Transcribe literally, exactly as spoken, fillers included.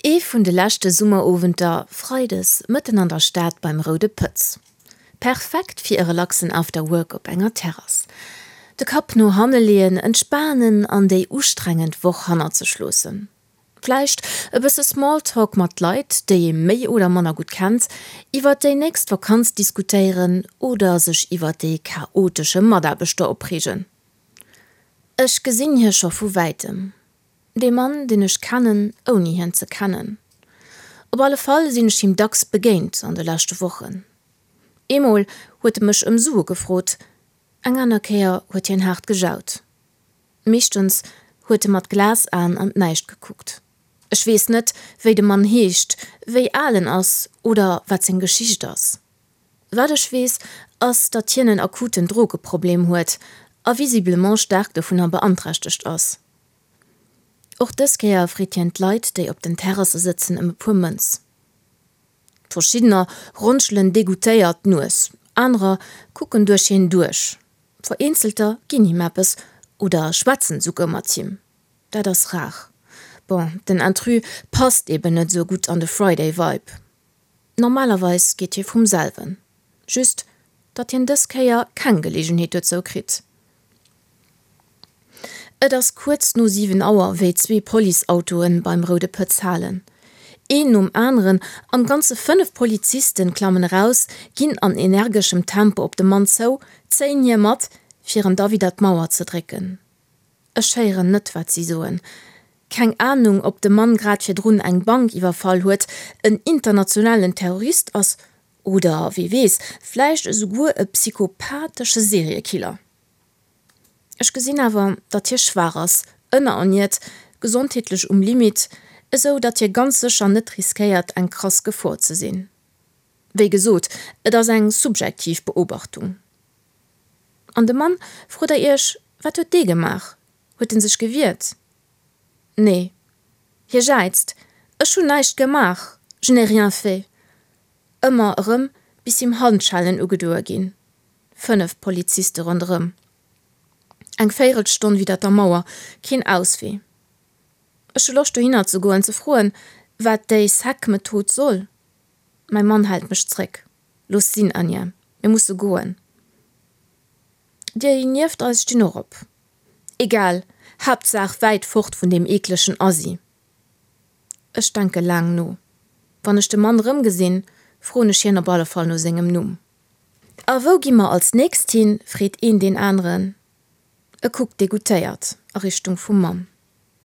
Ee vun de leschte Summerowenter, freides, mëtten an der Stad beim Roude Pëtz. Perfekt fir e relaxen After Work op enger Terrass. De Kapp no hanne leeën, entspanen an déi ustrengend Woch hannert sech loossen. Vläicht e bësse Smalltalk mat Leit, déi ee méi oder manner gutt kennt, iwwert déi nächst Vakanz diskutéieren oder sech iwwert dee chaotesche Mataarbechter opreegen. Ech gesinn hie scho vu wäitem. Dee Mann, deen ech kennen, ouni hien ze kennen. Op alle Fall sinn ech him dacks begéint an de leschte Wochen. Eemol huet e mech ëm Sue gefrot, eng aner Kéier huet hien haart gejaut. Meeschtens huet e mat Glasaen an d'Näischt gekuckt. Ech weess net, wéi de Mann heescht, wéi al en ass oder wat seng Geschicht ass. Wat ech weess, ass, datt hien en akuten Drogeproblem huet a visiblement staark dovunner beanträchtegt ass. Och dës Kéier freet hien d'Leit, déi op den Terrasse sëtzen, ëm e puer Mënz. Verschiddener ronschelen degoûtéiert d'Nues, anerer kucken duerch hien duerch, vereenzelter ginn him eppes oder schwätzen esouguer mat him. Dat ass rar. Bon, den Intrus passt eben net esou gutt an de Friday-Vibe. Normalerweis geet hie vum selwen. Just, datt hien dës Kéier keng Geleegenheet dozou kritt. Et ass kuerz no siwen Auer, wéi zwee Policeautoe beim Roude Pëtz halen. Een nom aneren, am Ganze fënnef Polizisten, klammen eraus, ginn an energeschem Tempo op de Mann zou, zéien hie mat, fir en da widder d'Mauer ze drécken. Ech héieren net, wat si soen. Keng Anung, ob de Mann grad virdrun eng Bank iwwerfall huet, en internationalen Terrorist ass oder, wee weess, vläicht esouguer e psychopathesche Seriekiller. Ech gesinn awer, datt hie schwaach ass, ënnererniert, gesondheetlech um Limit, esou datt hie ganz sécher net riskéiert, eng krass Gefor ze sinn. Wéi gesot, et ass eng subjektiv Beobachtung. An de Mann, frot der Iech, wat huet dee gemaach? Huet en sech gewiert? Nee. Hie jäizt, Ech hunn näischt gemaach, je n'ai rien fait! Ëmmer erëm, bis him Handschellen ugedoe ginn. Fënnef Poliziste ronderëm. Eng Véierelstonn widder der Mauer, keen Auswee. Ech hu Loscht dohinner ze goen, ze froen, wat déi sec Method soll. Mäi Mann hält mech zréck, Looss sinn, Anja, mir musse goen. Déi nieft eis stinn och op. Egal, Haaptsaach wäit fort vun deem eeklegen Assi. Ech denke laang no. Wann ech de Mann erëmgesinn, froen ech hien op alle Fall no sengem Numm. A wou gi mer als nächst hin? freet een deen aneren. E kuckt degoûtéiert a Richtung vum Mann.